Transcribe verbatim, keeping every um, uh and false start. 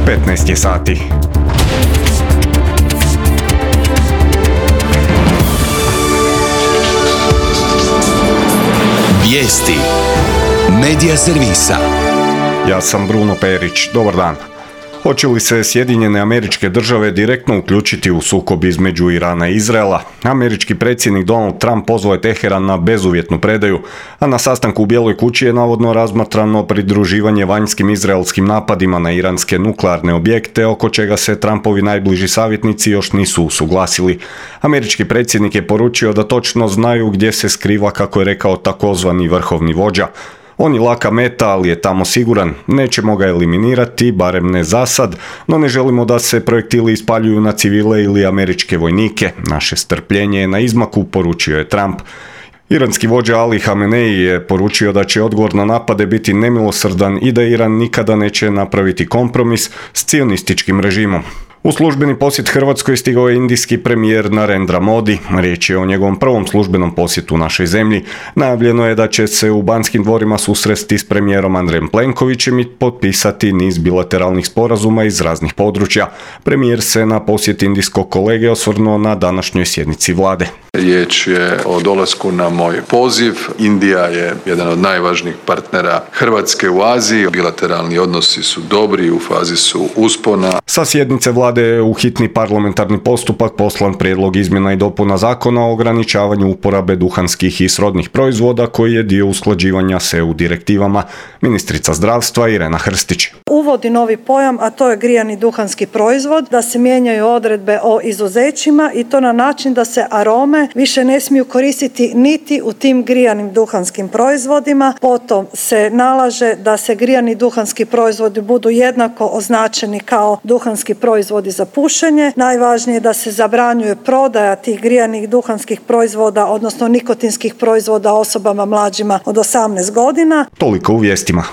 petnaest je sati. Vijesti Medija servisa. Ja sam Bruno Perić. Dobar dan. Hoće li se Sjedinjene Američke Države direktno uključiti u sukob između Irana i Izraela? Američki predsjednik Donald Trump pozvao je Teheran na bezuvjetnu predaju, a na sastanku u Bijeloj kući je navodno razmatrano pridruživanje vanjskim izraelskim napadima na iranske nuklearne objekte, oko čega se Trumpovi najbliži savjetnici još nisu usuglasili. Američki predsjednik je poručio da točno znaju gdje se skriva, kako je rekao, takozvani vrhovni vođa. On je laka meta, ali je tamo siguran. Nećemo ga eliminirati, barem ne zasad, no ne želimo da se projektili ispaljuju na civile ili američke vojnike. Naše strpljenje je na izmaku, poručio je Trump. Iranski vođa Ali Hamenei je poručio da će odgovor na napade biti nemilosrdan i da Iran nikada neće napraviti kompromis s cionističkim režimom. U službeni posjet Hrvatskoj stigao je indijski premijer Narendra Modi. Riječ je o njegovom prvom službenom posjetu našoj zemlji. Najavljeno je da će se u Banskim dvorima susresti s premijerom Andrejem Plenkovićem i potpisati niz bilateralnih sporazuma iz raznih područja. Premijer se na posjet indijskog kolege osvrnuo na današnjoj sjednici vlade. Riječ je o dolasku na moj poziv. Indija je jedan od najvažnijih partnera Hrvatske u Aziji. Bilateralni odnosi su dobri, u fazi su uspona. Sa sjednice vlade je u hitni parlamentarni postupak poslan prijedlog izmjena i dopuna zakona o ograničavanju uporabe duhanskih i srodnih proizvoda koji je dio usklađivanja s E U direktivama. Ministrica zdravstva Irena Hrstić uvodi novi pojam, a to je grijani duhanski proizvod, da se mijenjaju odredbe o izuzećima i to na način da se arome više ne smiju koristiti niti u tim grijanim duhanskim proizvodima. Potom se nalaže da se grijani duhanski proizvodi budu jednako označeni kao duhanski proizvodi za pušenje. Najvažnije je da se zabranjuje prodaja tih grijanih duhanskih proizvoda, odnosno nikotinskih proizvoda osobama mlađima od osamnaest godina. Toliko u vijestima.